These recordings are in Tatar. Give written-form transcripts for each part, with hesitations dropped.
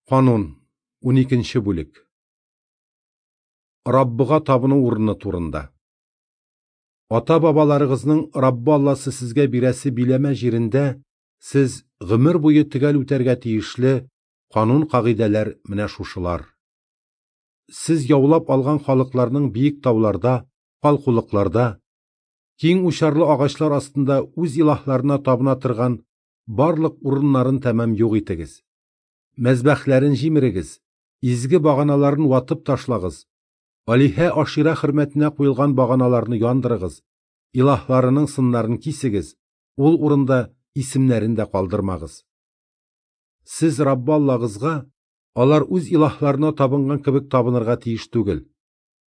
Канун, 12 бүлек. Раббыга табыну урыны турында. Ата-бабаларыгызның Раббы Алласы сезгә бирәсе биләмә җирендә сез гомер буе төгәл үтәргә тиешле канун-кагыйдәләр менә шушылар. Сез яулап алган халыкларның биек тауларда, калкулыкларда, киң учарлы агачлар астында үз илаһларына табына торган барлык урыннарын тәмам юк итегез. Мәзбәхләрен җимерегез, изге баганаларын ватып ташлагыз, алиһә Ашира хөрмәтенә куелган баганаларны яндырыгыз, илаһларының сыннарын кисегез, ул урында исемнәрен дә калдырмагыз. Сез Раббы Аллагызга алар үз илаһларына табынган кебек табынырга тиеш түгел.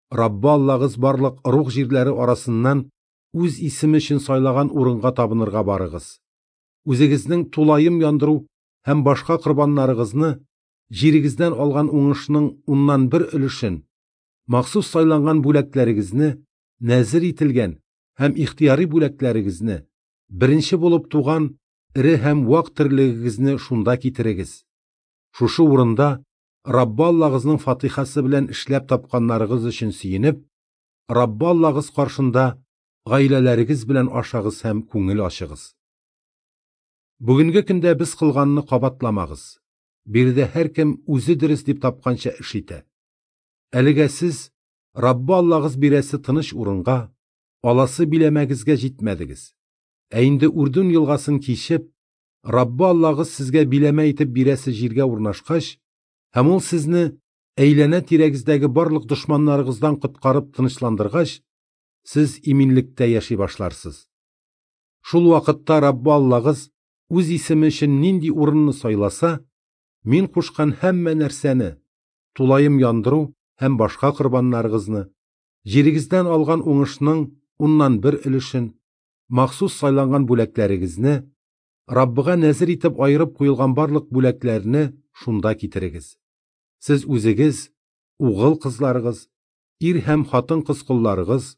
Раббы Аллагыз барлык ыруг җирләре арасыннан үз исеме өчен сайлаган урынга табынырга барыгыз. Үзегезнең тулаем яндыру һәм башка корбаннарыгызны, җирегездән алган уңышның 1/10 өлешен, махсус сайланган бүләкләрегезне, нәзер ителгән һәм ихтыяри бүләкләрегезне, беренче булып туган эре һәм вак терлегегезне шунда китерегез. Шушы урында Раббы Аллагызның фатихасы белән эшләп тапканнарыгыз өчен сөенеп, Раббы Аллагыз каршында гаиләләрегез белән ашагыз һәм күңел ачыгыз. Бүгенге көндә без кылганны кабатламагыз. Биредә һәркем үзе дөрес дип тапканча эш итә. Әлегә сез Раббы Аллагыз бирәсе тыныч урынга, аласы биләмәгезгә җитмәдегез. Ә инде Үрдүн елгасын кичеп, Раббы Аллагыз сезгә биләмә итеп бирәсе җиргә урнашкач, һәм ул сезне әйләнә-тирәгездәге барлык дошманнарыгыздан коткарып тынычландыргач, сез иминлектә яши башларсыз. Шул вакытта Раббы Аллагыз үз исеме өчен нинди урынны сайласа, мин кушкан һәммә нәрсәне, тулаем яндыру һәм башка корбаннарыгызны, җирегездән алган уңышның 1/10 өлешен, махсус сайланган бүләкләрегезне, Раббыга нәзер итеп аерып куелган барлык бүләкләрне шунда китерегез. Сез үзегез, угыл кызларыгыз, ир һәм хатын-кыз колларыгыз,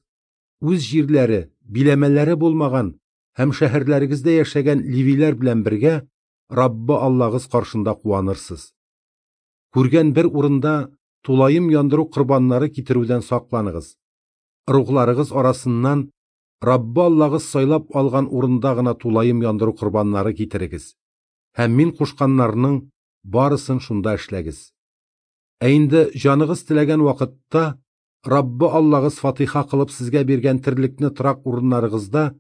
үз җирләре, биләмәләре булмаган һәм шәһәрләрегездә яшәгән левиләр белән бергә Раббы Аллагыз каршында куанырсыз. Күргән бер урында тулаем яндыру корбаннары китерүдән сакланыгыз. Ыругларыгыз арасыннан Раббы Аллагыз сайлап алган урында гына тулаем яндыру корбаннары китерегез. Һәм мин кушканнарның барысын шунда эшләгез. Ә инде җаныгыз теләгән вакытта Раббы Аллагыз фатиха кылып сезгә биргән терлекне торак урыннарыгызда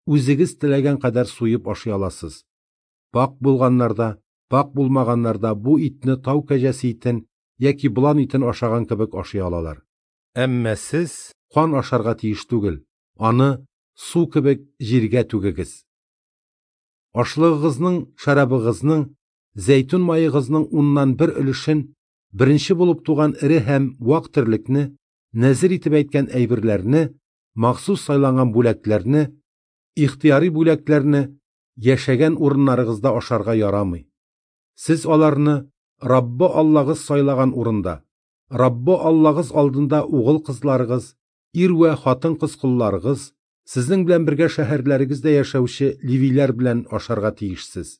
үзегез теләгән кадәр суеп ашый аласыз. Пак булганнарда, пак булмаганнарда бу итне тау кәҗәсе итен яки болан итен ашаган кебек ашый алалар. Әмма сез кан ашарга тиеш түгел, аны су кебек җиргә түгегез. Ашлыгыгызның, шәрабыгызның, зәйтүн маегызның 1/10 өлешен, беренче булып туган эре һәм вак терлекне, нәзер итеп әйткән әйберләрне, махсус сайланган бүләкләрне, ихтыяри бүләкләрне яшәгән урыннарыгызда ашарга ярамый. Сез аларны Раббы Аллагыз сайлаган урында, Раббы Аллагыз алдында угыл кызларыгыз, ир вә хатын-кыз колларыгыз, сезнең белән бергә шәһәрләрегездә яшәүче левиләр белән ашарга тиешсез.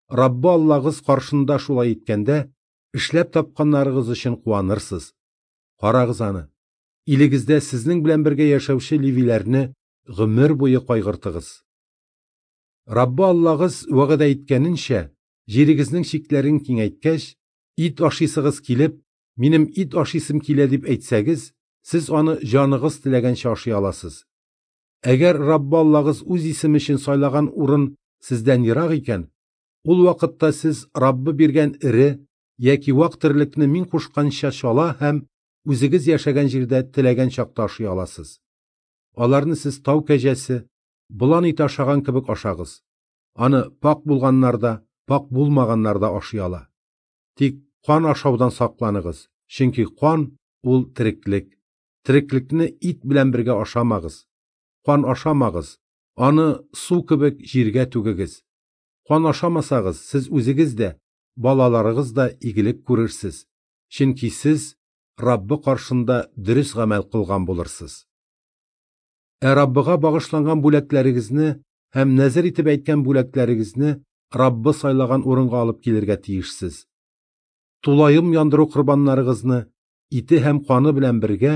Раббы Аллагыз каршында шулай иткәндә, эшләп тапканнарыгыз өчен куанырсыз. Карагыз аны, илегездә сезнең белән бергә яшәүче левиләрне гомер буе кайгыртыгыз. Раббы Аллагыз вәгъдә иткәненчә, җирегезнең чикләрен киңәйткәч, ит ашыйсыгыз килеп, минем ит ашыйсым килә дип әйтсәгез, сез аны җаныгыз теләгәнчә ашый аласыз. Әгәр Раббы Аллагыз үз исеме өчен сайлаган урын сездән ерак икән, ул вакытта сез Раббы биргән эре яки вак терлекне мин кушканча чала һәм үзегез яшәгән җирдә теләгән чакта ашый аласыз. Аларны сез тау кәҗәсе, болан ите ашаган кебек ашагыз. Аны пак булганнар да, пак булмаганнар да ашый ала. Тик кан ашаудан сакланыгыз, чөнки кан ул тереклек. Тереклекне ит белән бергә ашамагыз. Кан ашамагыз, аны су кебек җиргә түгегез. Кан ашамасагыз, сез үзегез дә, балаларыгыз да игелек күрерсез. Чөнки сез Раббы каршында дөрес гамәл кылган булырсыз. Ә Раббыга багышланган бүләкләрегезне һәм нәзер итеп әйткән бүләкләрегезне Раббы сайлаган урынга алып килергә тиешсез. Тулаем яндыру корбаннарыгызны ите һәм каны белән бергә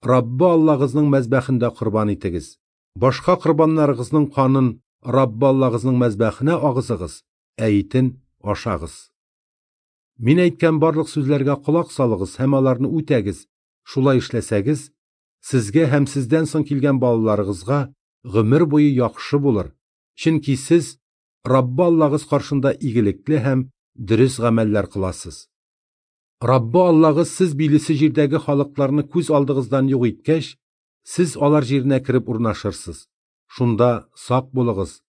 Раббы Аллагызның мәзбәхендә корбан итегез. Башка корбаннарыгызның канын Раббы Аллагызның мәзбәхенә агызыгыз, ә итен ашагыз. Мин әйткән барлык сүзләргә колак салыгыз һәм аларны үтәгез. Шулай эшләсәгез, сезгә һәм сездән соң килгән балаларыгызга гомер буе яхшы булыр, чөнки сез Раббы Аллагыз каршында игелекле һәм дөрес гамәлләр кыласыз. Раббы Аллагыз сез билесе җирдәге халыкларны күз алдыгыздан юк иткәч, сез алар җиренә кереп урнашырсыз. Шунда сак булыгыз,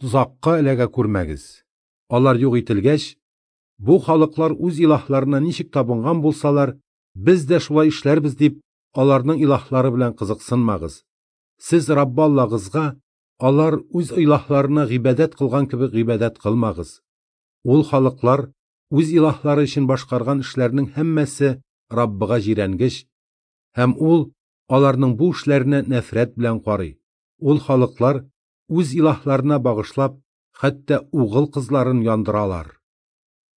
тозакка эләгә күрмәгез. Алар юк ителгәч, бу халыклар үз илаһларына ничек табынган булсалар, без дә шулай эшләрбез дип, аларның илаһлары белән кызыксынмагыз. Сез Раббы Аллагызга алар үз илаһларына гыйбадәт кылган кебек гыйбадәт кылмагыз. Ул халыклар үз илаһлары өчен башкарган эшләрнең һәммәсе Раббыга җирәнгеч, һәм ул аларның бу эшләренә нәфрәт белән карый. Ул халыклар үз илаһларына багышлап, хәтта угыл кызларын яндыралар.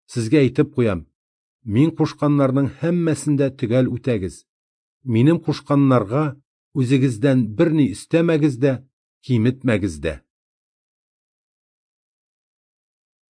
Сезгә әйтеп куям, мин кушканнарның һәммәсен дә төгәл үтәгез. Минем кушканнарга үзегездән берни өстәмәгез дә, киметмәгез дә.